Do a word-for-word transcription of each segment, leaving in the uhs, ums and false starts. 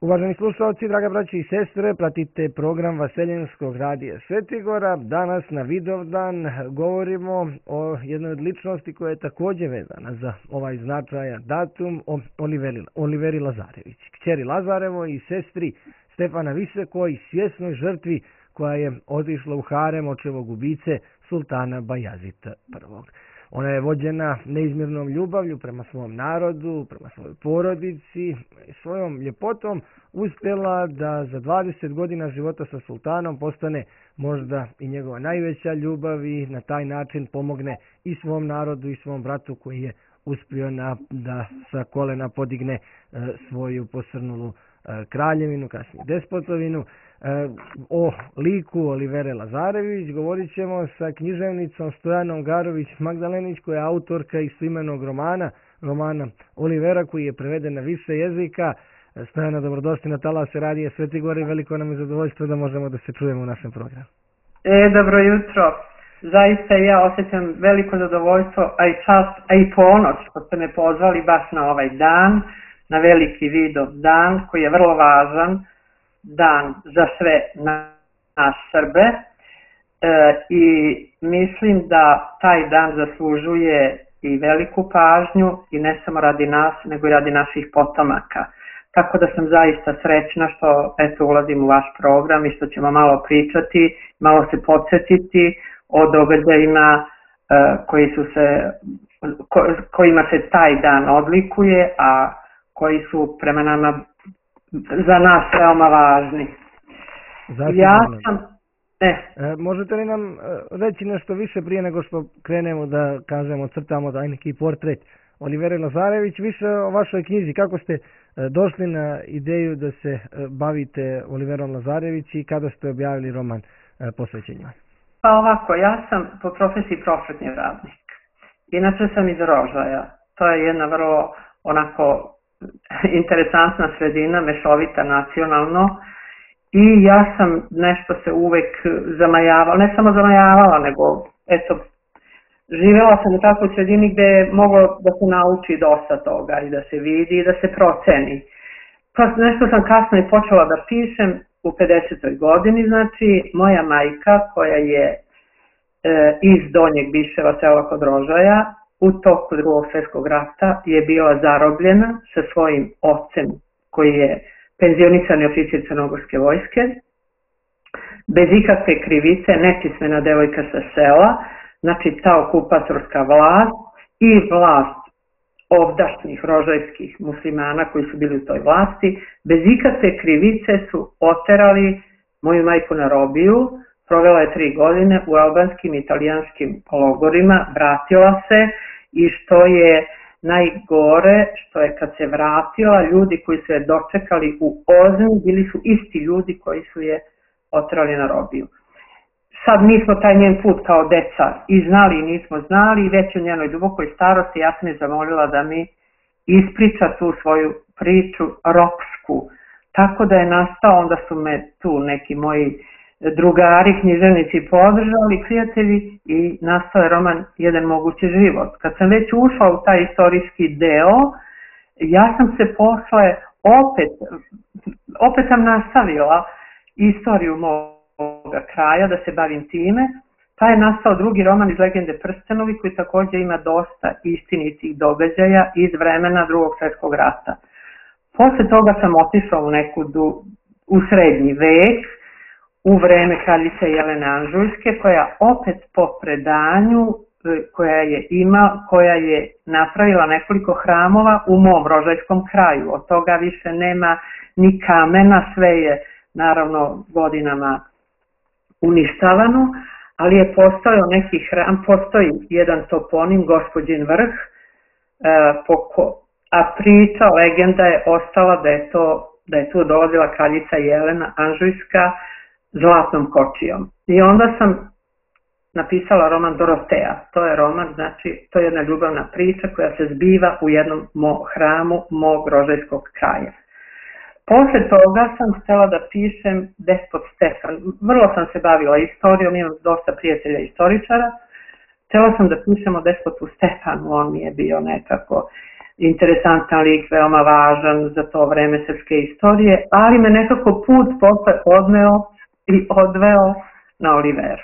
Uvaženi slušalci, draga braći i sestre, pratite program Vaseljenskog radija Svetigora. Danas na Vidovdan govorimo o jednoj od ličnosti koja je također vezana za ovaj značajan datum, o Oliveri, Oliveri Lazarević, kćeri Lazarevoj i sestri Stefana Visekoj, svjesnoj žrtvi koja je otišla u harem očevog ubice sultana Bajazita prvog. Ona je vođena neizmjernom ljubavlju prema svom narodu, prema svojoj porodici i svojom ljepotom uspjela da za dvadeset godina života sa sultanom postane možda i njegova najveća ljubav i na taj način pomogne i svom narodu i svom bratu koji je uspio na, da sa kolena podigne e, svoju posrnulu e, kraljevinu, kasnije despotovinu. O liku Olivere Lazarević govorit ćemo sa književnicom Stojanom Garović Magdalenić, koja je autorka istoimenog romana, romana Olivera, koji je preveden na više jezika. Stojana, dobrodošli na talase radija Svetigora i veliko nam je zadovoljstvo da možemo da se čujemo u našem programu. E, dobro jutro. Zaista ja osjećam veliko zadovoljstvo, a i čast, a i ponos što ste me pozvali baš na ovaj dan, na veliki Vidov dan koji je vrlo važan dan za sve nas Srbe e, i mislim da taj dan zaslužuje i veliku pažnju i ne samo radi nas nego i radi naših potomaka. Tako da sam zaista srećna što eto ulazim u vaš program i što ćemo malo pričati, malo se podsjetiti o događajima e, koji su se, ko, kojima se taj dan odlikuje, a koji su prema nama za nas veoma važni. Zatim, ja sam... E. E, možete li nam reći nešto više prije nego što krenemo da kažemo, crtamo da neki portret Olivere Lazarević, više o vašoj knjizi, kako ste došli na ideju da se bavite Oliverom Lazarević i kada ste objavili roman posvećen njoj? Pa ovako, ja sam po profesiji prosvetni radnik. Inače sam iz Rožaja. To je jedna vrlo onako interesantna sredina, mešovita nacionalno, i ja sam nešto se uvek zamajavala, ne samo zamajavala, nego eto, živjela sam u takvoj sredini gde je moglo da se nauči dosta toga i da se vidi i da se proceni. Pa nešto sam kasno i počela da pišem u pedesetoj godini, znači moja majka koja je e, iz Donjeg Biševa, sela kod Rožaja, u toku Drugog svjetskog rata je bila zarobljena sa svojim ocem koji je penzionisani oficir Crnogorske vojske, bez ikakve krivice, nepismena devojka sa sela, znači ta okupatorska vlast i vlast ovdašnjih rožajskih muslimana koji su bili u toj vlasti, bez ikakve krivice su oterali moju majku na robiju, provela je tri godine u albanskim i italijanskim logorima, vratila se i što je najgore, što je kad se vratila, ljudi koji su je dočekali u Ozmi bili su isti ljudi koji su je oterali na robiju. Sad mi smo taj njen put kao deca i znali i nismo znali i već u njenoj dubokoj starosti ja sam je zamolila da mi ispriča tu svoju priču ropsku. Tako da je nastao, onda su me tu neki moji drugari, književnici podržali, prijatelji, i nastao je roman Jedan mogući život. Kad sam već ušla u taj istorijski deo, ja sam se posle opet, opet sam nastavila istoriju moga kraja, da se bavim time, pa je nastao drugi roman iz Legende Prstenovi koji također ima dosta istinitih događaja iz vremena Drugog svjetskog rata. Posle toga sam otišla u neku du, u srednji vek, u vreme kraljice Jelene Anžujske, koja opet po predanju koja je ima, koja je napravila nekoliko hramova u mom rožajskom kraju. Od toga više nema ni kamena, sve je naravno godinama uništavano, ali je postojao neki hram, postoji jedan toponim, Gospođin vrh, a priča, legenda je ostala da je, to, da je tu dolazila kraljica Jelena Anžujska zlatnom kočijom. I onda sam napisala roman Doroteja. To je roman, znači, to je jedna ljubavna priča koja se zbiva u jednom mo, hramu mog rožajskog kraja. Posle toga sam htjela da pišem Despot Stefan. Vrlo sam se bavila istorijom, imam dosta prijatelja istoričara. Htjela sam da pišem o despotu Stefanu, on mi je bio nekako interesantan lik, veoma važan za to vreme srpske istorije, ali me nekako put posle odneo i odveo na Oliveru.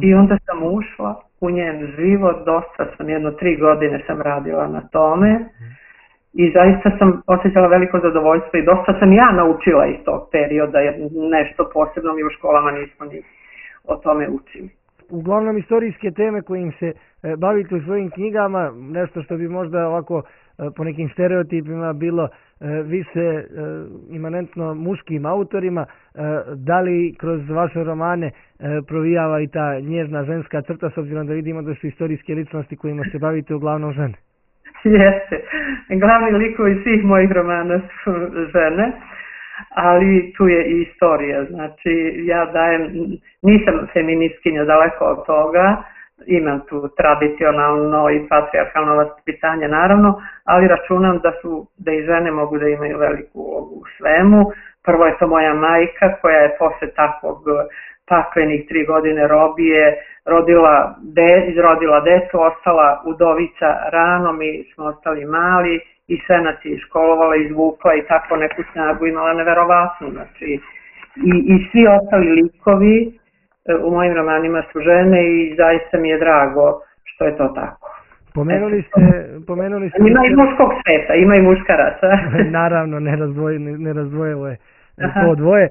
I onda sam ušla u njen život, dosta sam, jedno tri godine sam radila na tome i zaista sam osjećala veliko zadovoljstvo i dosta sam ja naučila iz tog perioda, jer nešto posebno mi u školama nismo ni o tome učili. Uglavnom istorijske teme kojim se bavite u svojim knjigama, nešto što bi možda ovako po nekim stereotipima bilo više imanentno muškim autorima, da li kroz vaše romane provijava i ta nježna ženska crta, s obzirom da vidimo da su istorijske ličnosti kojima se bavite uglavnom žene? Jeste. Glavni likovi svih mojih romana su žene, ali tu je i istorija. Znači, ja dajem, nisam feministkinja, daleko od toga, imam tu tradicionalno i patrijarhalno vaspitanje naravno, ali računam da su, da i žene mogu da imaju veliku ulogu u svemu. Prvo je to moja majka koja je posle takvog paklenih tri godine robije rodila, de, izrodila decu, ostala udovica rano, mi smo ostali mali i sve nas je školovala, izvukla i tako neku snagu imala neverovatnu. Znači, i, i svi ostali likovi u mojim romanima su žene i zaista mi je drago što je to tako. Pomenuli ste... Pomenuli ste ima i muškog sveta, ima i muškaraca. Naravno, nerazdvojivo je to dvoje.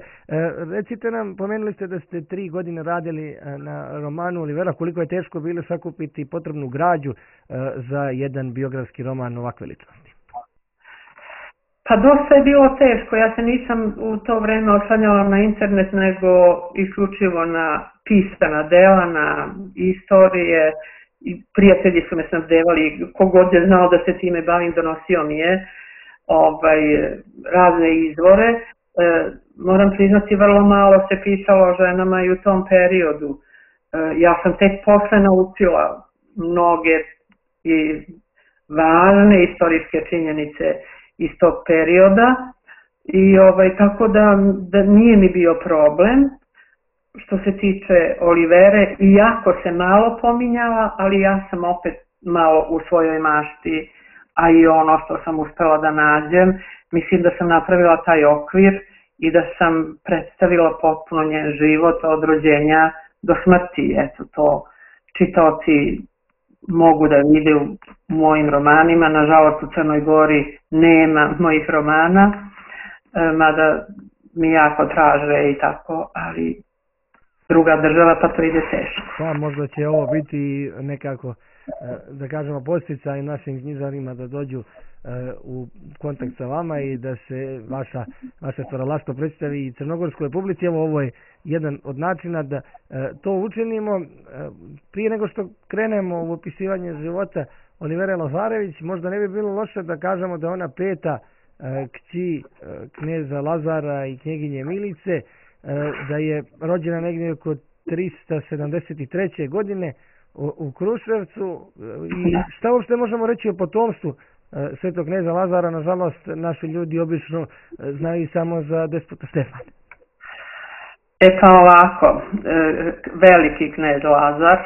Recite nam, pomenuli ste da ste tri godine radili na romanu Olivera, koliko je teško bilo sakupiti potrebnu građu za jedan biografski roman ovakve ličnosti? Pa dosta je bilo teško, ja se nisam u to vreme oslanjala na internet, nego isključivo na pisana dela, na istorije. I prijatelji su me snabdevali, kogod je znao da se time bavim, donosio mi je ovaj, razne izvore. E, moram priznati, vrlo malo se pisalo o ženama i u tom periodu. E, ja sam tek posle naučila mnoge i važne istorijske činjenice iz tog perioda i ovaj, tako da, da nije mi bio problem. Što se tiče Olivere, iako se malo pominjala, ali ja sam opet malo u svojoj mašti, a i ono što sam uspela da nađem, mislim da sam napravila taj okvir i da sam predstavila potpuno njen život od rođenja do smrti. Eto, to čitaoci mogu da vide u mojim romanima. Nažalost, u Crnoj Gori nema mojih romana, mada mi jako traže i tako, ali druga država, pa to ide teško. Pa možda će ovo biti nekako, da kažemo, podsticaj našim knjižarima da dođu u kontakt sa vama i da se vaša, vaše stvaralaštvo predstavi i crnogorskoj publici. Evo, ovo je jedan od načina da to učinimo. Prije nego što krenemo u opisivanje života Olivere Lazarević, možda ne bi bilo loše da kažemo da ona peta kći kneza Lazara i knjeginje Milice, da je rođena negdje oko trista sedamdeset treće godine u Kruševcu. I šta uopšte možemo reći o potomstvu svetog kneza Lazara? Nažalost, naši ljudi obično znaju samo za despota Stefana. E pa ovako, veliki knez Lazar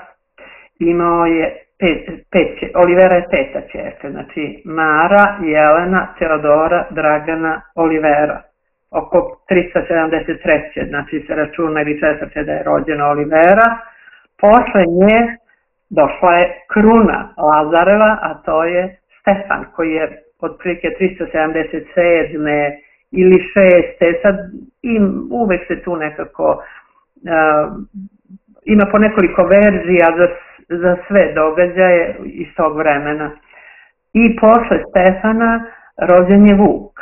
imao je pet, pet, Olivera je peta ćerka, znači Mara, Jelena, Teodora, Dragana, Olivera. Oko trista sedamdeset treće znači se računa ili četvrte da je rođena Olivera. Posle nje došla je kruna Lazareva, a to je Stefan, koji je otprilike trista sedamdeset sedme ili šeste Sad im, uvek se tu nekako uh, ima po nekoliko verzija za, za sve događaje iz tog vremena. I posle Stefana rođen je Vuk.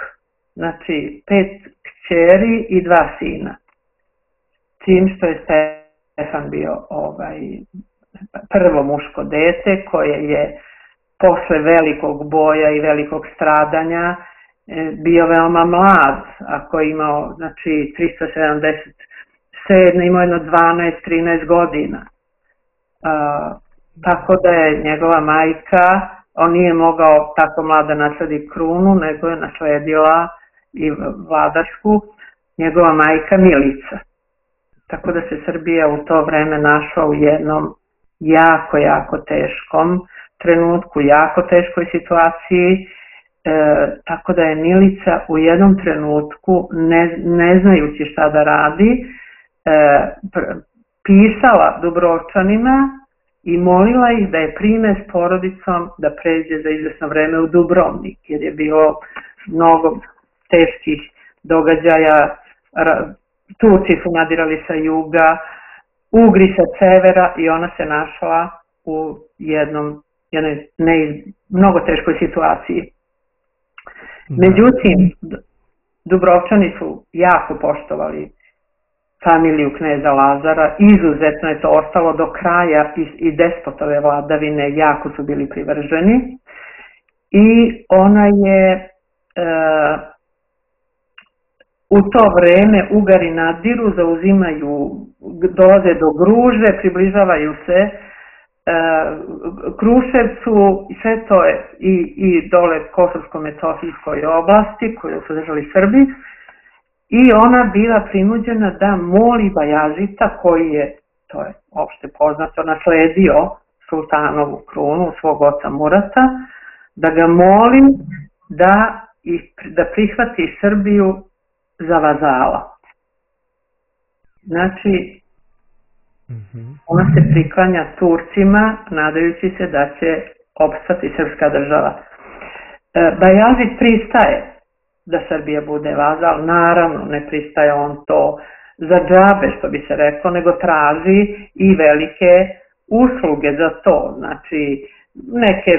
Znači, pet kćeri i dva sina. Tim što je Stefan bio ovaj, prvo muško dete koje je posle velikog boja i velikog stradanja bio veoma mlad, ako je imao, znači, trista sedamdeset sedme imao jedno dvanaest trinaest godina. A, tako da je njegova majka, on nije mogao tako mlada nasledi krunu, nego je nasledila i vladašku njegova majka Milica. Tako da se Srbija u to vreme našla u jednom jako, jako teškom trenutku jako teškoj situaciji, e, tako da je Milica u jednom trenutku, ne, ne znajući šta da radi, e, pr- pisala Dubrovčanima i molila ih da je prime s porodicom da pređe za izvesno vreme u Dubrovnik, jer je bilo mnogo teških događaja. Turci su nadirali sa juga, Ugri sa severa i ona se našla u jednom, jednoj ne, mnogo teškoj situaciji. Međutim, Dubrovčani su jako poštovali familiju kneza Lazara, izuzetno je to ostalo do kraja i, i despotove vladavine, jako su bili privrženi i ona je e, u to vreme Ugari nadiru, zauzimaju, dolaze do Gruže, približavaju se e, Kruševcu, sve to je i, i dole Kosovsko-Metohijskoj oblasti koju su držali Srbi, i ona bila prinuđena da moli Bajazita, koji je, to je opšte poznato, nasledio sultanovu krunu, svog oca Murata, da ga moli da, da prihvati Srbiju za vazala. Znači, ona se priklanja Turcima, nadajući se da će opstati srpska država. Bajazid pristaje da Srbija bude vazal, naravno ne pristaje on to za džabe, što bi se reklo, nego traži i velike usluge za to, znači neke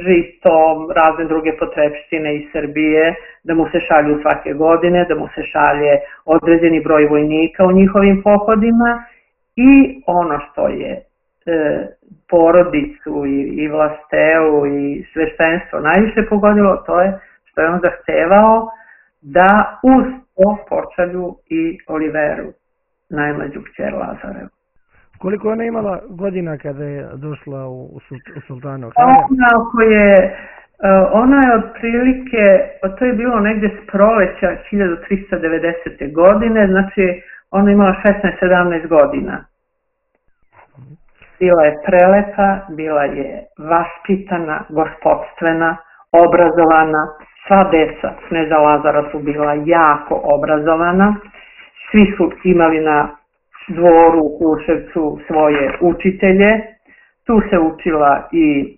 žito, razne druge potrepštine iz Srbije, da mu se šalju svake godine, da mu se šalje određeni broj vojnika u njihovim pohodima, i ono što je e, porodicu i, i vlasteu i sveštenstvo najviše pogodilo, to je što je on zahtevao da uz to pošalju i Oliveru, najmlađu kćer Lazarevu. Koliko ona imala godina kada je došla u, u Sultanovo? Ona je, ona je otprilike, to je bilo negde s proleća hiljadu trista devedesete. godine, znači ona imala šesnaest sedamnaest godina. Bila je prelepa, bila je vaspitana, gospodstvena, obrazovana, sva deca kneza Lazara su bila jako obrazovana, svi su imali na dvoru u Kruševcu svoje učitelje, tu se učila i,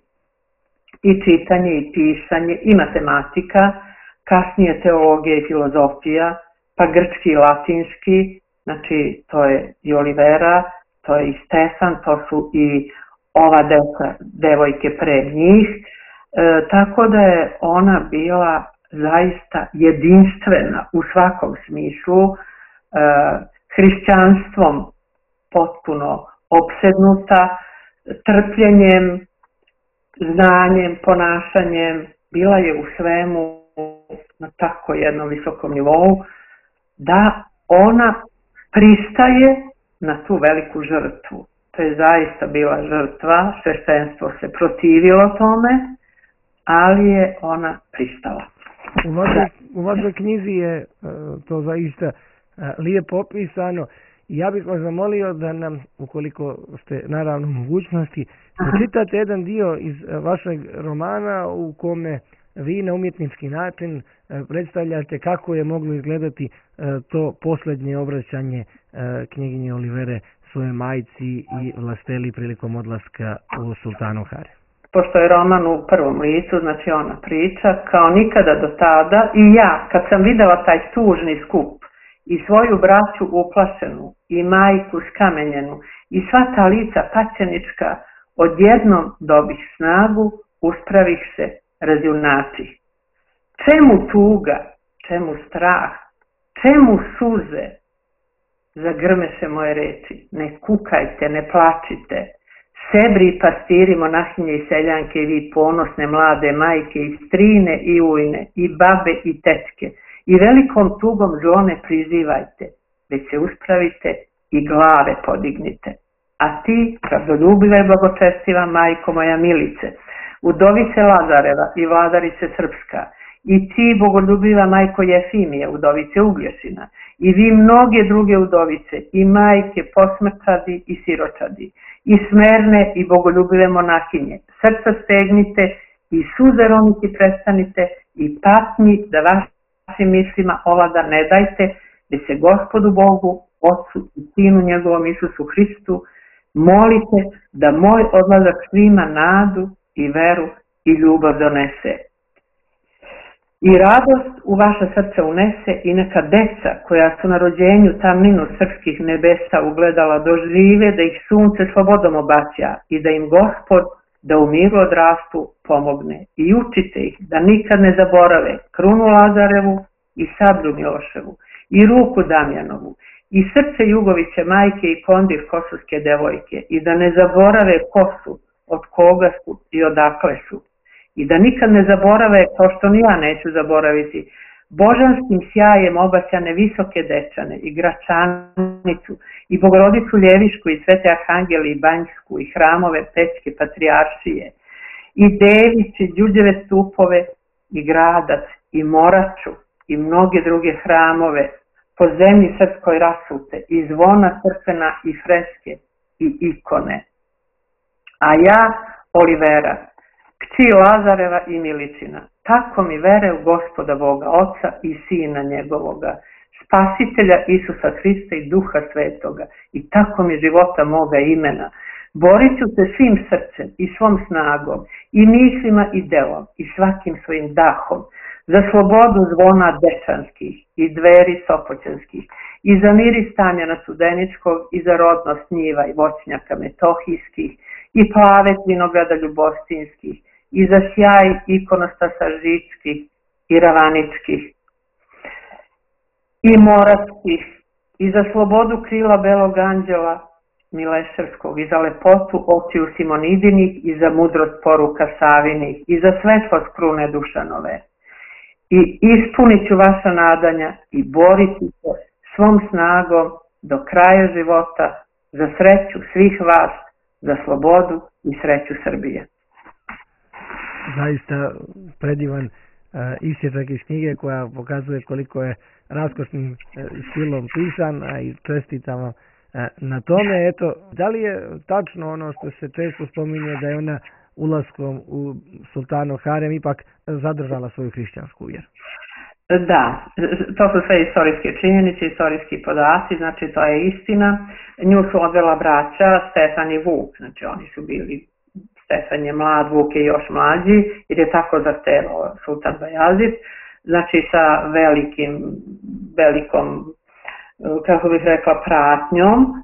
i čitanje i pisanje i matematika, kasnije teologija i filozofija, pa grčki i latinski, znači to je i Olivera, to je i Stefan, to su i ova deca, devojke pre njih, e, tako da je ona bila zaista jedinstvena u svakom smislu, e, hrišćanstvom potpuno opsednuta, trpljenjem, znanjem, ponašanjem, bila je u svemu na tako jednom visokom nivou, da ona pristaje na tu veliku žrtvu. To je zaista bila žrtva, sveštenstvo se protivilo tome, ali je ona pristala. U vašoj, u vašoj knjizi je to zaista lijepo opisano. Ja bih vas zamolio da nam, ukoliko ste naravno u mogućnosti, pročitate jedan dio iz vašeg romana u kome vi na umjetnički način predstavljate kako je moglo izgledati to posljednje obraćanje knjeginje Olivere svoje majci i vlasteli prilikom odlaska u Sultanov harem. Pošto je roman u prvom licu, znači ona priča, kao nikada do tada, i ja, kad sam videla taj tužni skup i svoju braću uplašenu i majku skamenjenu i sva ta lica paćenička, odjednom dobih snagu, uspravih se razjunači. Čemu tuga, čemu strah, čemu suze? Zagrmeše moje reči, ne kukajte, ne plačite. Sebri i pastiri, monahinje i seljanke, i vi ponosne mlade majke, i strine i ujne, i babe i tečke, i velikom tugom zlo ne prizivajte, već se uspravite i glave podignite. A ti, pravdoljubiva i blagočestiva majko moja Milice, udovice Lazareva i vladarice Srpska, i ti, bogoljubiva majko Jefimije, udovice Uglješina, i vi mnoge druge udovice, i majke, posmrčadi i siročadi, i smerne i bogoljubive monahinje, srca stegnite i suze roniti prestanite i patnji da vašim mislima ovlada ne dajte, da se Gospodu Bogu, Otcu i Sinu njegovom Isusu Hristu, molite da moj odlazak svima nadu i veru i ljubav donese. I radost u vaše srce unese i neka deca koja su na rođenju tamninu srpskih nebesa ugledala dožive da ih sunce slobodom obaća i da im Gospod da u miru odrastu pomogne i učite ih da nikad ne zaborave krunu Lazarevu i sablju Miloševu i ruku Damjanovu i srce Jugoviće majke i kondir kosovske devojke i da ne zaborave ko su, od koga su i odakle su. I da nikad ne zaborave, kao što ni ja neću zaboraviti, božanskim sjajem obasjane visoke dečane i Gračanicu i Bogorodicu Ljevišku i Svete Arhangeli i Banjsku i hramove Pećke patrijaršije i Dević i Đuđeve stupove i Gradac i Moraču i mnoge druge hramove po zemlji srpskoj rasute i zvona crkvena i freske i ikone. A ja, Olivera, kći Lazareva i Miličina, tako mi vere u Gospoda Boga, Oca i Sina njegovoga, Spasitelja Isusa Hrista i Duha Svetoga, i tako mi života moga imena. Borit ću se svim srcem i svom snagom, i mislima i delom, i svakim svojim dahom, za slobodu zvona dečanskih i dveri sopoćanskih, i za mir i Stamjana Studeničkog, i za rodnost njiva i voćnjaka metohijskih, i plavet vinograda ljubostinskih, i za sjaj ikonostasa žičkih i ravaničkih, i moravskih, i za slobodu krila belog anđela Mileševskog, i za lepotu očiju Simonidinih, i za mudrost poruka Savinih, i za svetlost krune Dušanove. I ispunit ću vaša nadanja i boriti se svom snagom do kraja života za sreću svih vas, za slobodu i sreću Srbije. Zaista predivan uh, isječak iz knjige koja pokazuje koliko je raskošnim uh, stilom pisan, a i čestitamo uh, na tome. Eto, da li je tačno ono što se često spominje da je ona ulaskom u sultanov harem ipak zadržala svoju hrišćansku vjeru? Da, to su sve istorijske činjenice, istorijski podaci, znači to je istina. Nju su odvela braća Stefan i Vuk, znači oni su bili, Stefan je mlad, Vuk je još mlađi, jer je tako zahtevao sultan Bajazid, znači sa velikim, velikom, kako bih rekla, pratnjom,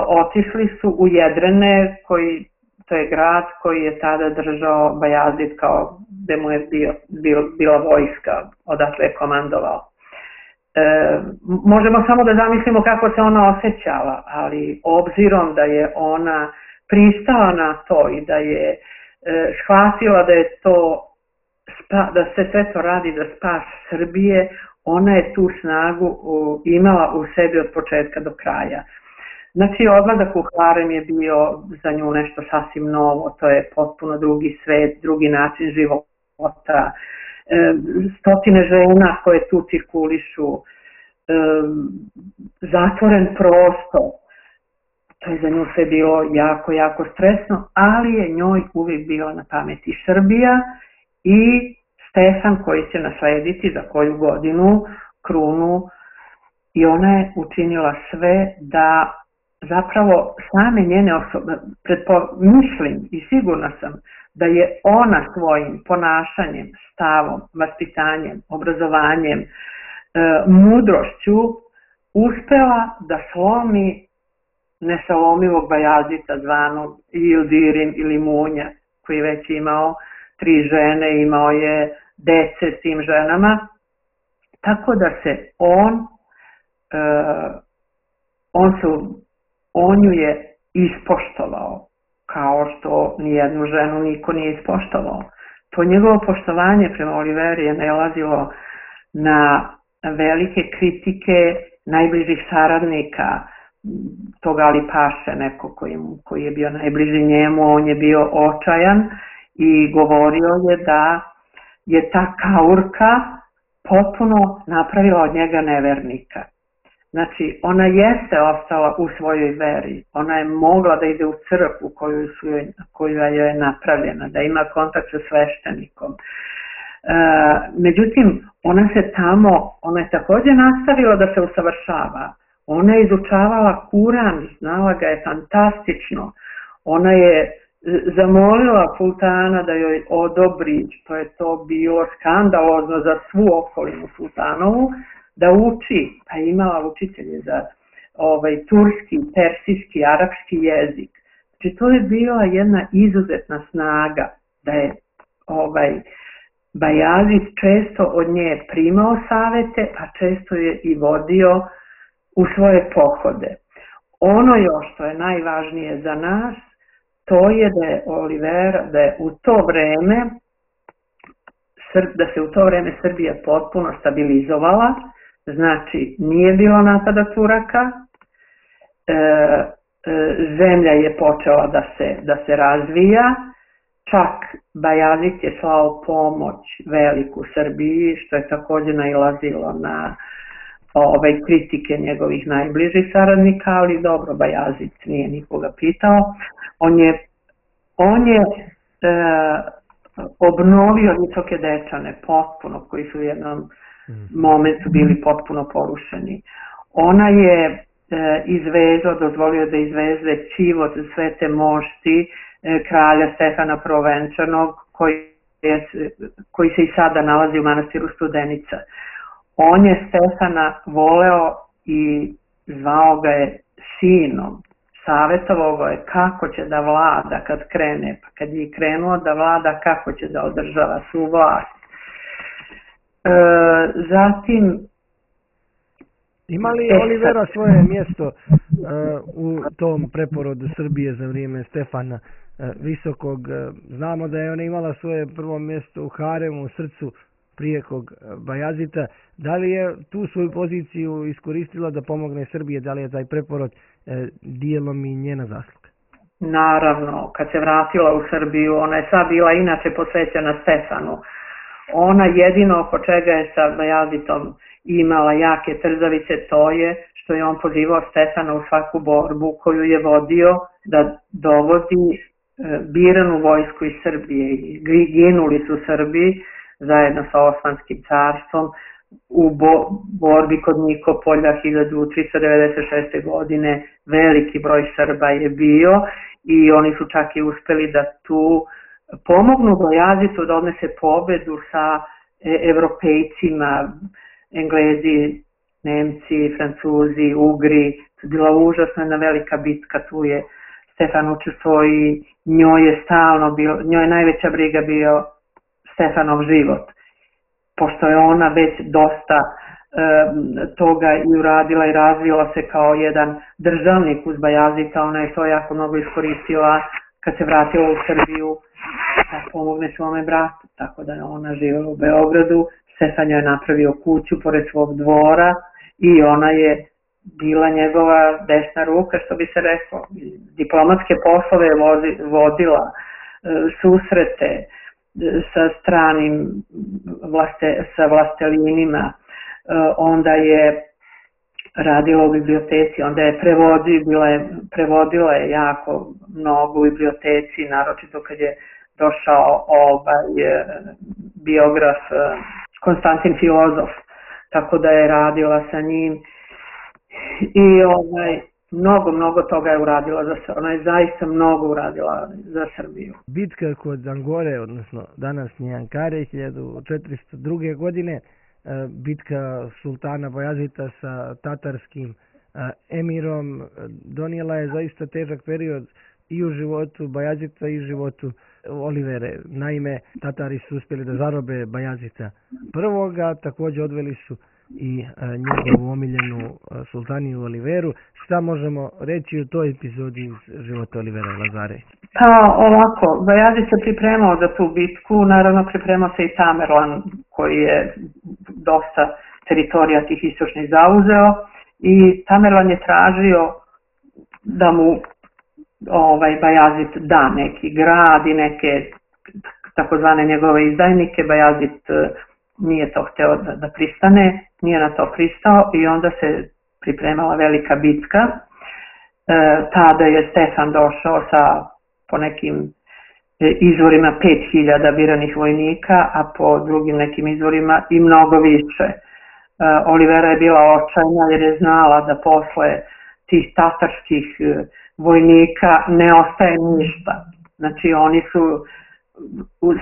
otišli su u Jedrene, koji, to je grad koji je tada držao Bajazid kao gde mu je bio, bio, bila vojska, odatle je komandovao. E, možemo samo da zamislimo kako se ona osjećala, ali obzirom da je ona pristala na to i da je e, shvatila da je to, spa, da se sve to radi za spas Srbije, ona je tu snagu u, imala u sebi od početka do kraja. Znači, odlazak u harem je bio za nju nešto sasvim novo, to je potpuno drugi svet, drugi način života, e, stotine žena koje tu cirkulišu, e, zatvoren prostor, to je za nju sve bilo jako, jako stresno, ali je njoj uvijek bila na pameti Srbija i Stefan koji će naslediti za koju godinu krunu, i ona je učinila sve da zapravo same njene osobe, pretpo, mislim i sigurna sam da je ona svojim ponašanjem, stavom, vaspitanjem, obrazovanjem, e, mudrošću uspela da slomi nesalomivog Bajazita zvanog Ildirim ili Munja, koji već imao tri žene, imao je dece s tim ženama, tako da se on, e, on su on ju je ispoštovao, kao što nijednu ženu niko nije ispoštovao. To njegovo poštovanje prema Oliveri je nailazilo na velike kritike najbližih saradnika toga Ali Paše, neko koji, koji je bio najbliži njemu, on je bio očajan i govorio je da je ta kaurka potpuno napravila od njega nevernika. Znači, ona jeste ostala u svojoj veri, ona je mogla da ide u crkvu koju su joj, koja je napravljena, da ima kontakt sa sveštenikom. E, međutim, ona se tamo, ona je također nastavila da se usavršava. Ona je izučavala Kuran, znala ga je fantastično. Ona je zamolila sultana da joj odobri, što je to bilo skandalozno za svu okolinu sultanovu, da uči, pa je imala učitelje za ovaj, turski, persijski, arapski jezik. Znači to je bila jedna izuzetna snaga, da je ovaj, Bajazid često od nje primao savete, a često je i vodio u svoje pohode. Ono još što je najvažnije za nas, to je da je Olivera, da je u to vreme, da se u to vreme Srbija potpuno stabilizovala, znači nije bilo napada Turaka, e, e, zemlja je počela da se, da se razvija, čak Bajazid je slao pomoć veliku Srbiji, što je također nailazilo na ove kritike njegovih najbližih saradnika, ali dobro, Bajazid nije nikoga pitao. On je, on je e, obnovio Visoke Dečane potpuno, koji su u jednom momentu bili potpuno porušeni. Ona je e, izvezao, dozvolio da izveze ćivot Svete mošti e, kralja Stefana Prvenčanog, koji, je, koji se i sada nalazi u manastiru Studenica. On je Stefana voleo i zvao ga je sinom. Savjetovao ga je kako će da vlada kad krene, pa kad je krenuo da vlada, kako će da održava svu vlast. E, zatim... Ima li Olivera svoje mjesto uh, u tom preporodu Srbije za vrijeme Stefana uh, Visokog? Uh, znamo da je ona imala svoje prvo mjesto u haremu, u srcu prijekog uh, Bajazita. Da li je tu svoju poziciju iskoristila da pomogne Srbije? Da li je taj preporod uh, dijelom i njena zasluga? Naravno, kad se vratila u Srbiju, ona je sva bila inače posvećena Stefanu. Ona jedino oko čega je sa Bajazitom imala jake trzavice, to je što je on pozivao Stefana u svaku borbu koju je vodio da dovodi e, biranu vojsku iz Srbije. Ginuli su Srbi zajedno sa Osmanskim carstvom u bo, borbi kod Nikopolja hiljadu tristo devedeset šeste. godine. Veliki broj Srba je bio i oni su čak i uspeli da tu pomognu Bajazitu da odnese pobedu sa e, evropejcima, Englezi, Nemci, Francuzi, Ugri. To je bila užasna jedna velika bitka, tu je Stefan učestvovao i njoj je stalno bio, njoj je najveća briga bio Stefanov život. Pošto je ona već dosta e, toga i uradila i razvila se kao jedan državnik uz Bajazita, ona je to jako mnogo iskoristila kad se vratila u Srbiju da pomogne svome bratu, tako da je ona živjela u Beogradu. Stefan joj je napravio kuću pored svog dvora i ona je bila njegova desna ruka, što bi se reklo. Diplomatske poslove je vodila, susrete sa stranim vlaste, sa vlastelinima, onda je radila u biblioteci, onda je prevodila, je, prevodila je jako mnogo u biblioteci, naročito kad je došao ovaj biograf Konstantin Filozof, tako da je radila sa njim i ovaj, mnogo, mnogo toga je uradila za Srbiju. Ona je zaista mnogo uradila za Srbiju. Bitka kod Angore, odnosno današnje Ankare, hiljadu četiristo druge. godine, bitka sultana Bajazita sa tatarskim emirom donijela je zaista težak period i u životu Bajazita i u životu Olivere. Naime, Tatari su uspjeli da zarobe Bajazita prvoga, također odveli su i njegovu omiljenu sultaniju Oliveru. Šta možemo reći u toj epizodi iz života Olivera Lazarević? Pa ovako, Bajazid se pripremao za tu bitku, naravno pripremao se i Tamerlan koji je dosta teritorija tih istočnih zauzeo i Tamerlan je tražio da mu ovaj Bajazid da neki grad i neke takozvane njegove izdajnike. Bajazid nije to hteo da, da pristane, nije na to pristao i onda se pripremala velika bitka. E, tada je Stefan došao sa po nekim izvorima pet hiljada biranih vojnika, a po drugim nekim izvorima i mnogo više. E, Olivera je bila očajna jer je znala da posle tih tatarskih vojnika ne ostaje ništa. Znači oni su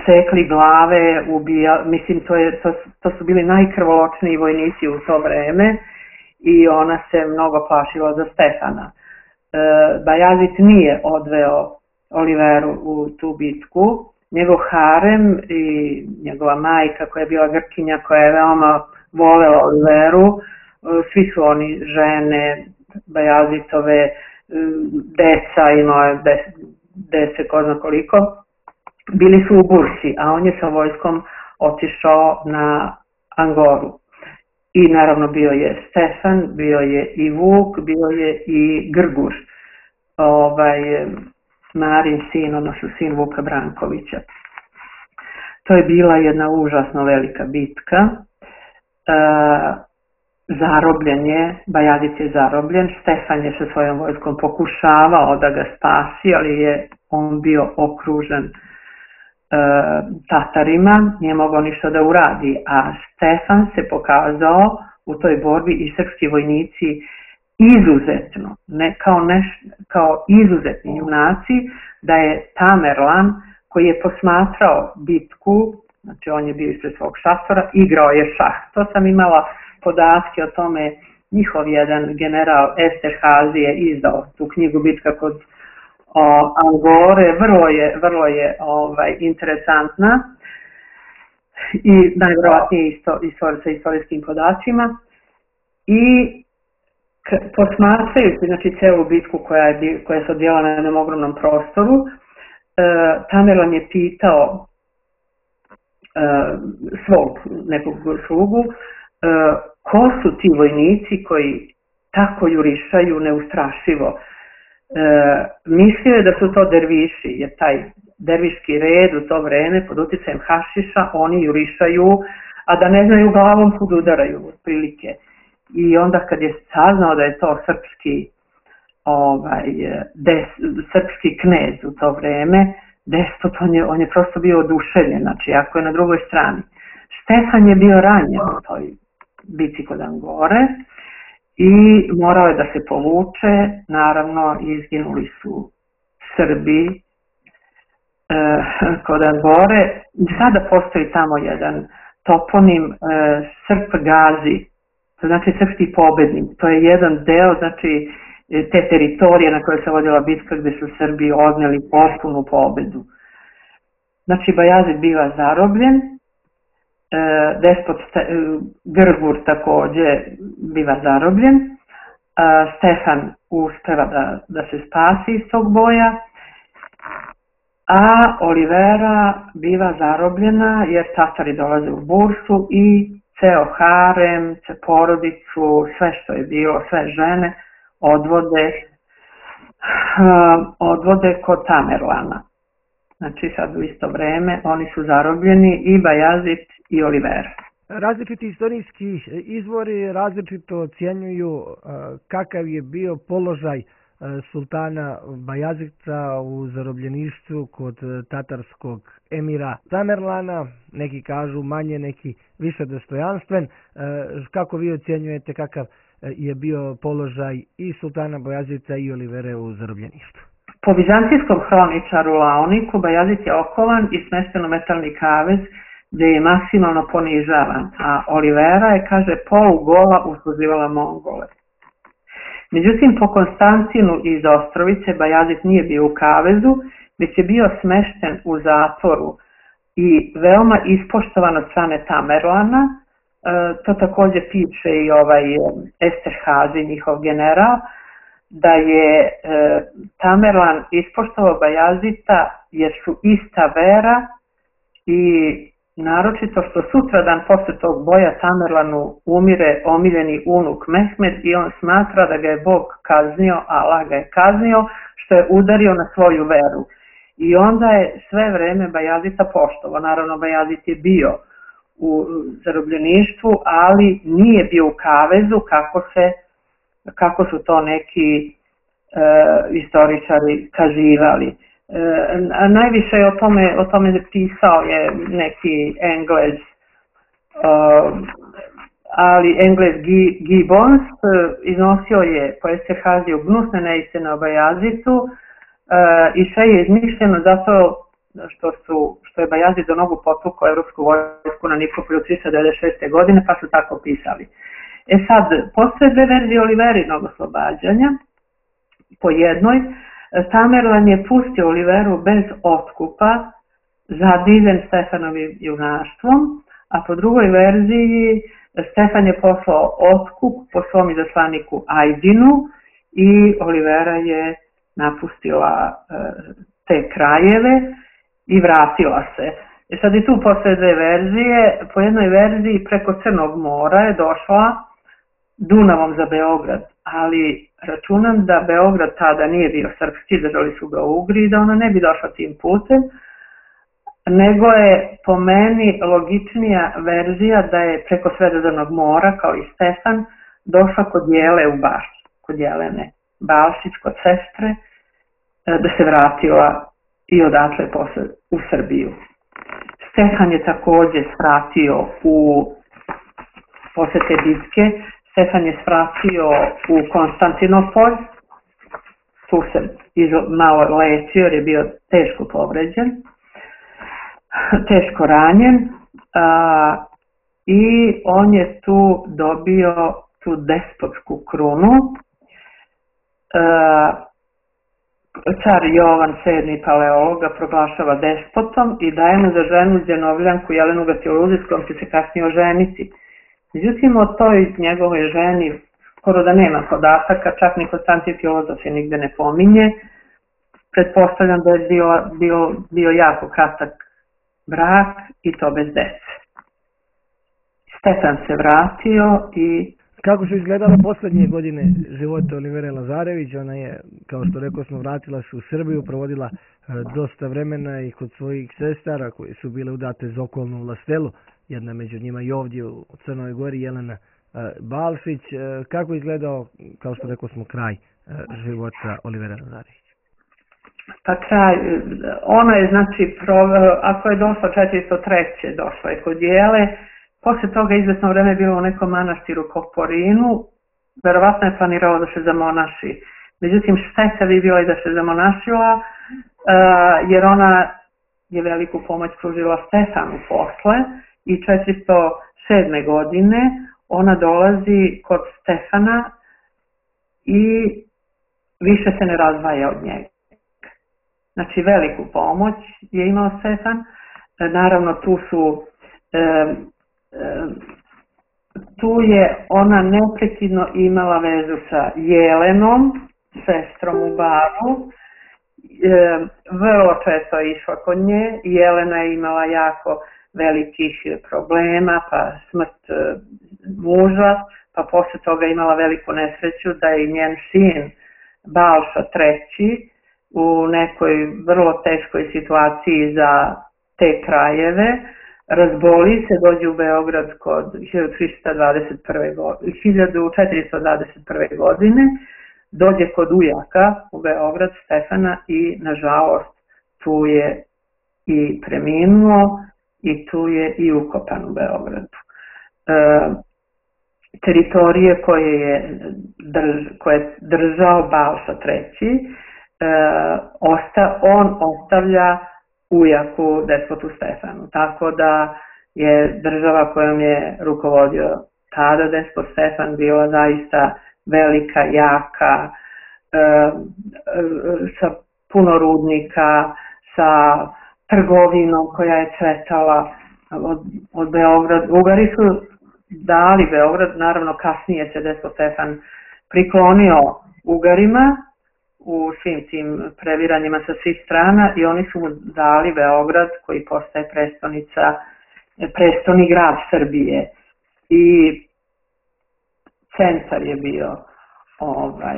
sekli glave, ubija, mislim to, je, to, to su bili najkrvoločniji vojnici u to vreme i ona se mnogo plašila za Stefana. E, Bajazid nije odveo Oliveru u tu bitku, njegov harem i njegova majka koja je bila Grkinja, koja je veoma volela Oliveru, svi su oni žene, Bajazitove, deca, imao je deset, ko zna koliko, bili su u Bursi, a on je sa vojskom otišao na Angoru. I naravno bio je Stefan, bio je i Vuk, bio je i Grgur, ovaj, Marin sin, odnosno sin Vuka Brankovića. To je bila jedna užasno velika bitka. E, zarobljen je, Bajazid je zarobljen, Stefan je sa svojom vojskom pokušavao da ga spasi, ali je on bio okružen e, Tatarima, nije mogao ništa da uradi, a Stefan se pokazao u toj borbi i srpski vojnici izuzetno, ne kao, neš, kao izuzetni junaci, da je Tamerlan koji je posmatrao bitku, znači on je bio ispred svog šatora, igrao je šah. To sam imala podatke o tome, njihov jedan general Esterhazy je izdao tu knjigu Bitka kod o, Angore, vrlo je, vrlo je ovaj, interesantna i najvjerojatnije isto, isto, sa istorijskim podacima. I posmatrajući znači celu bitku koja je, koja se odvijala na jednom ogromnom prostoru, e, Tamerlan je pitao e, svog nekog slugu e, ko su ti vojnici koji tako jurišaju neustrašivo. E, mislio je da su to derviši, jer taj derviški red u to vreme pod uticajem hašiša oni jurišaju, a da ne znaju glavom kud udaraju otprilike. I onda kad je saznao da je to srpski, ovaj, des, srpski knez u to vreme, despot, on je, on je prosto bio oduševljen, znači ako je na drugoj strani. Stefan je bio ranjen u toj bici kod Angore i morao je da se povuče, naravno izginuli su Srbi e, kod Angore. Sada postoji tamo jedan toponim e, Srp Gazi, to znači srpski pobednik, to je jedan deo znači, te teritorije na kojoj se vodila bitka gdje su Srbi odneli potpunu pobedu. Znači Bajazid biva zarobljen, e, despot Ste, e, Grgur također biva zarobljen, e, Stefan uspeva da, da se spasi iz tog boja, a Olivera biva zarobljena jer Tatari dolaze u Bursu i ceo harem, porodicu, sve što je bilo, sve žene odvode, uh, odvode kod Tamerlana. Znači sad u isto vreme oni su zarobljeni i Bajazid i Olivera. Različiti istorijski izvori različito ocjenjuju uh, kakav je bio položaj sultana Bajazidca u zarobljeništvu kod tatarskog emira Tamerlana, neki kažu manje, neki više dostojanstven. Kako vi ocjenjujete kakav je bio položaj i sultana Bajazidca i Olivere u zarobljeništvu? Po vizantijskom hroničaru Laoniku Bajazid je okovan i smešten u metalni kavez gdje je maksimalno ponižavan, a Olivera je, kaže, polugola usluživala Mongole. Međutim, po Konstantinu iz Ostrovice Bajazid nije bio u kavezu, već je bio smešten u zatvoru i veoma ispoštovan od strane Tamerlana. E, to također piše i ovaj Esterhazy, njihov general, da je e, Tamerlan ispoštovao Bajazita jer su ista vera i naročito što sutradan posle tog boja Tamerlanu umire omiljeni unuk Mehmed i on smatra da ga je Bog kaznio, Allah ga je kaznio što je udario na svoju veru. I onda je sve vreme Bajazita poštovao. Naravno, Bajazit je bio u zarobljeništvu, ali nije bio u kavezu kako, se, kako su to neki e, istoričari kazivali. E, a najviše o tome, o tome pisao je neki Englez, e, ali Englez Gibbons, iznosio je po Esterhaziju gnusne neistine o Bajazitu i sve je izmišljeno zato što, su, što je Bajazid do nogu potukao evropsku vojsku na Nikopolju trista devedeset šeste. godine, pa su tako pisali. E sad, postoje dve verzije Oliverinog oslobađanja. Po jednoj, Tamerlan je pustio Oliveru bez otkupa, zadivljen Stefanovim junaštvom, a po drugoj verziji Stefan je poslao otkup po svom izaslaniku Ajdinu i Olivera je napustila e, te krajeve i vratila se. E sad i tu postoje dve verzije. Po jednoj verziji preko Crnog mora je došla Dunavom za Beograd, ali računam da Beograd tada nije bio srpski, držali su ga Ugri i da ona ne bi došla tim putem, nego je po meni logičnija verzija da je preko Sredozemnog mora, kao i Stefan, došla kod Jele u Bašć, kod Jelene Balšić, kod sestre, da se vratila i odatle posle u Srbiju. Stefan je takođe svratio u posle te bitke, Stefan je svratio u Konstantinopolj, tu se malo lečio jer je bio teško povređen, teško ranjen, a, i on je tu dobio tu despotsku krunu. A, car Jovan sedmi Paleolog ga proglašava despotom i daje mu za ženu Zjenovljanku Jelenu Gatioluzi, s kojom će se kasnije oženiti. Međutim, o toj njegovoj ženi skoro da nema podataka, čak ni Konstantin Filozof je nigde ne pominje. Pretpostavljam da je bio, bio, bio jako kratak brak i to bez dece. Stefan se vratio i... Kako su izgledale posljednje godine života Olivere Lazarević? Ona je, kao što rekao smo, vratila se u Srbiju, provodila dosta vremena i kod svojih sestara koje su bile udate za okolnu vlastelu. Jedna među njima i ovdje u Crnoj Gori, Jelena Balšić. Kako je izgledao, kao što rekao smo, kraj života Olivere Lazarević? Pa kraj, ona je znači, ako je došla četiristo treće došla je kod Jele, posle toga izvesno vreme bilo u nekom manastiru Koporinu, verovatno je planirala da se zamonaši. Međutim, šteta bi bila i da se zamonašila, jer ona je veliku pomoć pružila Stefanu posle i četiristo sedme. godine ona dolazi kod Stefana i više se ne razdvaja od njega. Znači, veliku pomoć je imao Stefan. Naravno, tu su... E, e, tu je ona neprekidno imala vezu sa Jelenom, sestrom u Baru. E, vrlo često je išla kod nje. Jelena je imala jako velikih problema, pa smrt e, muža, pa posle toga imala veliku nesreću da je njen sin Balša treći u nekoj vrlo teškoj situaciji za te krajeve, razboli se, dođe u Beograd kod hiljadu četiristo dvadeset prve. godine, dođe kod ujaka u Beograd Stefana i nažalost tu je i preminuo i tu je i ukopan u Beogradu. E, teritorije koje je, drž, koje je držao Balša treći, E, osta, on ostavlja ujaku despotu Stefanu. Tako da je država kojom je rukovodio tada despot Stefan bila zaista velika, jaka, e, e, sa puno rudnika, sa trgovinom koja je cvetala od, od Beograda. Ugari su dali Beograd, naravno kasnije se despot Stefan priklonio Ugarima u svim tim previranjima sa svih strana i oni su mu dali Beograd koji postaje prestonica, prestoni grad Srbije i centar je bio ovaj,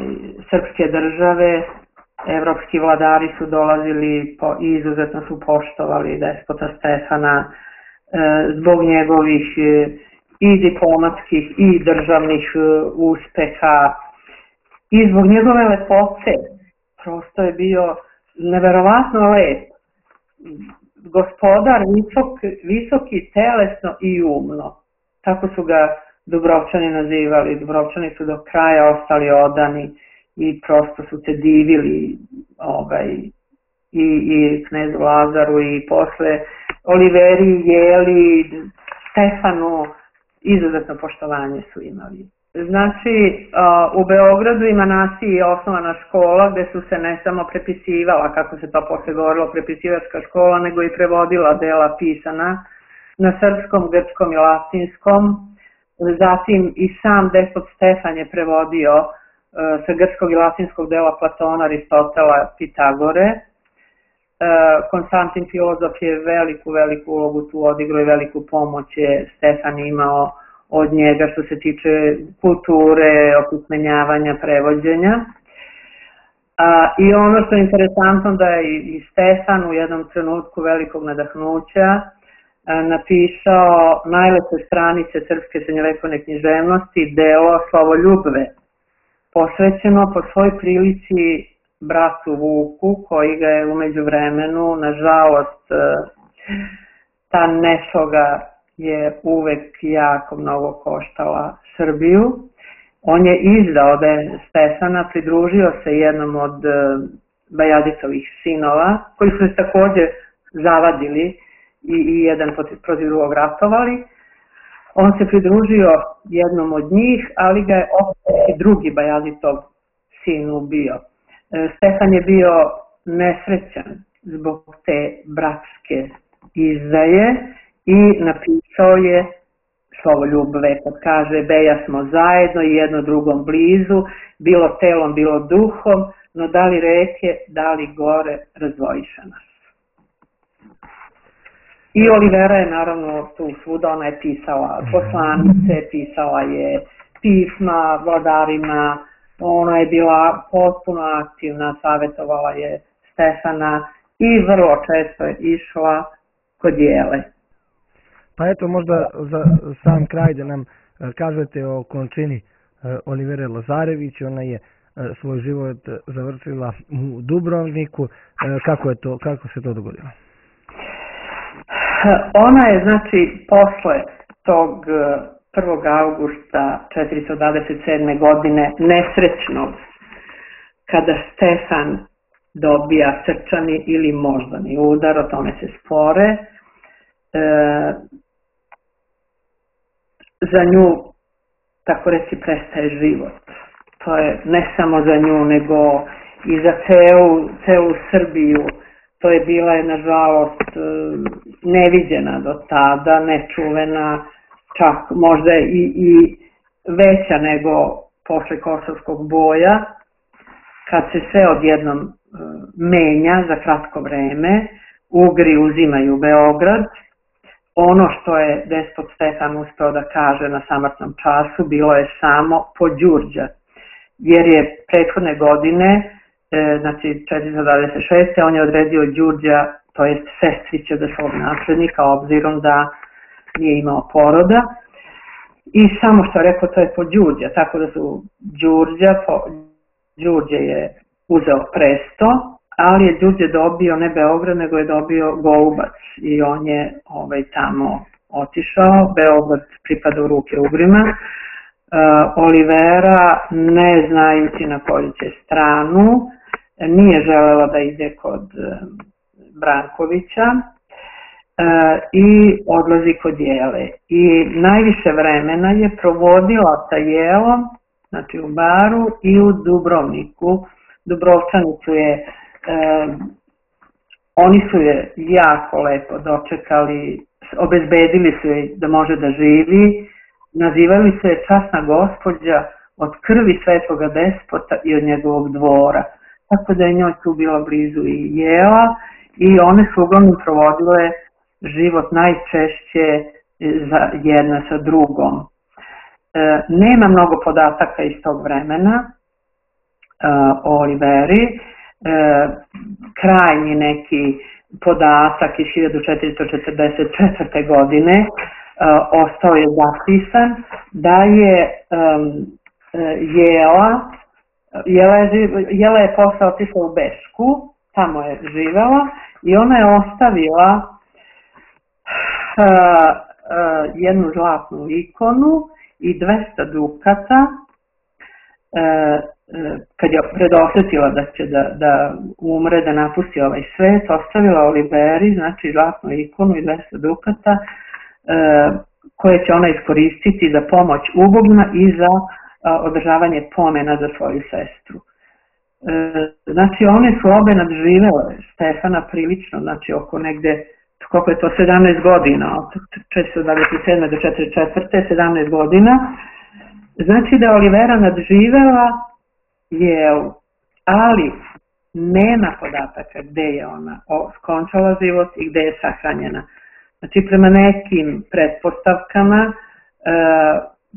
srpske države, evropski vladari su dolazili po, i izuzetno su poštovali despota Stefana e, zbog njegovih e, i diplomatskih i državnih e, uspeha i zbog njegove lepote. Prosto je bio neverovatno lep. Gospodar visok, visoki telesno i umno. Tako su ga Dubrovčani nazivali. Dubrovčani su do kraja ostali odani i prosto su se divili ovaj, i, i knezu Lazaru i posle Oliveri, Jeli, Stefanu, izuzetno poštovanje su imali. Znači, u Beogradu i Manasiji je osnovana škola gde su se ne samo prepisivala, kako se to posle govorilo, prepisivačka škola, nego i prevodila dela pisana na srpskom, grčkom i latinskom. Zatim i sam despot Stefan je prevodio sa grčkog i latinskog dela Platona, Aristotela, Pitagore. Konstantin filozof je veliku, veliku ulogu tu odigrao i veliku pomoć je Stefan imao od njega što se tiče kulture, opismenjavanja, prevođenja. A, I ono što je interesantno da je i Stefan u jednom trenutku velikog nadahnuća a, napisao najlepe stranice srpske srednjovekovne književnosti, delo Slavoljubve, posvećeno po svoj prilici bratu Vuku, koji ga je umeđu vremenu, nažalost, ta nesloga je uvek jako mnogo koštala Srbiju. On je izdao da je Stefana, pridružio se jednom od Bajadicovih sinova, koji su se takođe zavadili i, i jedan protiv drugog ratovali. On se pridružio jednom od njih, ali ga je opet i drugi Bajaditov sin ubio. Stefan je bio nesrećan zbog te bratske izdaje i napisao je Slavoljubve, kad kaže beja smo zajedno i jedno drugom blizu, bilo telom, bilo duhom, no da li reke, da li gore, razdvojiša nas. I Olivera je naravno tu svuda, ona je pisala poslanice, pisala je pisma vladarima, ona je bila potpuno aktivna, savjetovala je Stefana i vrlo često je išla kod Jele. Pa eto, možda za sam kraj da nam kažete o končini Olivere Lazarević. Ona je svoj život završila u Dubrovniku. Kako je to, kako se to dogodilo? Ona je, znači, posle tog prvog augusta četiristo dvadeset sedme. godine nesrećnog, kada Stefan dobija srčani ili moždani udar, o tome se spore, e, za nju, tako reći, prestaje život. To je ne samo za nju, nego i za celu, celu Srbiju. To je bila, je, nažalost, neviđena do tada, nečuvena, čak možda i, i veća nego posle Kosovskog boja, kad se sve odjednom menja za kratko vreme, Ugri uzimaju Beograd. Ono što je despot Stefan uspeo da kaže na samrtnom času bilo je samo Pođurđa, jer je prethodne godine, znači četiristo dvadeset šeste. on je odredio Đurđa, to jest sestrića za svog naslednika, obzirom da nije imao poroda. I samo što je rekao, to je Pođurđa, tako da su Đurđa, po, Đurđe je uzeo presto, ali je Đurđe dobio ne Beograd, nego je dobio Golubac i on je ovaj, tamo otišao. Beograd pripada u ruke Ugrima. Uh, Olivera, ne znajući na koju će stranu, nije želela da ide kod uh, Brankovića uh, i odlazi kod Jele. I najviše vremena je provodila sa Jelom, znači u baru i u Dubrovniku. Dubrovčani su je, uh, oni su je jako lepo dočekali, obezbedili su je da može da živi. Nazivali se časna gospođa od krvi svetoga despota i od njegovog dvora. Tako da je njoj tu bila blizu i Jela i one su uglavnom provodile život najčešće za jedna sa drugom. E, nema mnogo podataka iz tog vremena e, o Oliveri. krajnji neki podatak iz hiljadu četiristo četrdeset četvrte. godine ostao je zapisan da je Jela, Jela je, Jela je posle otišla u Bešku, tamo je živela i ona je ostavila jednu zlatnu ikonu i dvesta dukata kad je predosjetila da će da, da umre, da napusti ovaj svet, ostavila Oliveri, znači zlatnu ikonu i dvesta dukata koje će ona iskoristiti za pomoć ubogima i za održavanje pomena za svoju sestru. Znači one su obe nadživele Stefana prilično, znači oko negde, koliko je to, sedamnaest godina, od četiristo dvadeset sedme. do četrdeset četvrte. sedamnaest godina. Znači da je Olivera nadživela Jelu, ali nema podataka gde je ona skončala život i gde je sahranjena. Znači prema nekim pretpostavkama,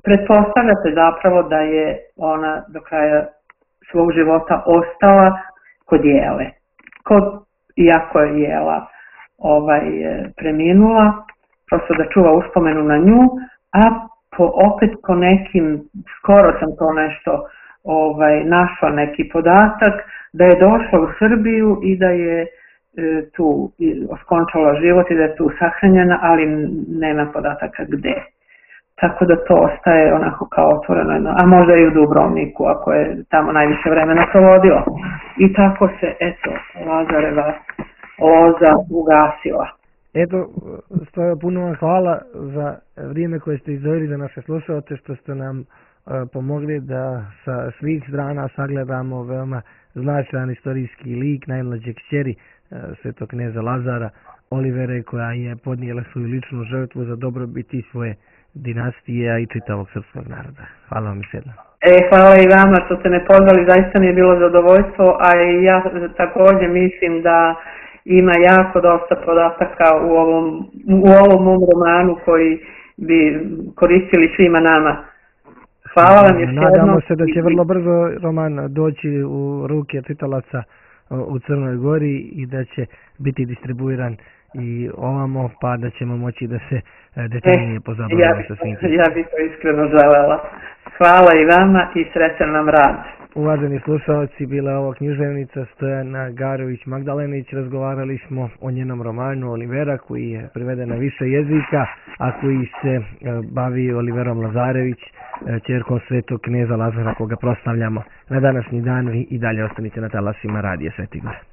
pretpostavljate zapravo da je ona do kraja svog života ostala kod Jele. Kod, iako je Jela ovaj, preminula, prosto da čuva uspomenu na nju, a po, opet po nekim, skoro sam to nešto ovaj, našla neki podatak, da je došla u Srbiju i da je e, tu oskončala život i da je tu sahranjena, ali nema podataka gde. Tako da to ostaje onako kao otvoreno, a možda i u Dubrovniku, ako je tamo najviše vremena provodila. I tako se, eto, Lazareva loza ugasila. Eto, stoja, puno vam hvala za vrijeme koje ste izdvojili za naše slušalce, što ste nam uh, pomogli da sa svih strana sagledamo veoma značajan istorijski lik najmlađe kćeri uh, svetog kneza Lazara, Olivere, koja je podnijela svoju ličnu žrtvu za dobrobit i svoje dinastije, a i čitavog srpskog naroda. Hvala vam još jednom. E, hvala i vama što ste me pozvali, zaista mi je bilo zadovoljstvo, a ja također mislim da ima jako dosta podataka u ovom, u ovom mom romanu koji bi koristili svima nama. Hvala vam još jednom. Nadamo se da će vrlo brzo roman doći u ruke čitalaca u Crnoj Gori i da će biti distribuiran i ovamo, pa da ćemo moći da se detaljnije pozabavimo ja, sa svim tim. Ja bih to iskreno želela. Hvala i vama i srećan nam rad. Uvaženi slušalci, bila je ovo književnica Stojana Garović-Magdalenić. Razgovarali smo o njenom romanu Olivera, koji je preveden na više jezika, a koji se bavi Oliverom Lazarević, ćerkom svetog kneza Lazara, koga proslavljamo na današnji dan. I dalje ostanite na talasima Radija Sveti Gor.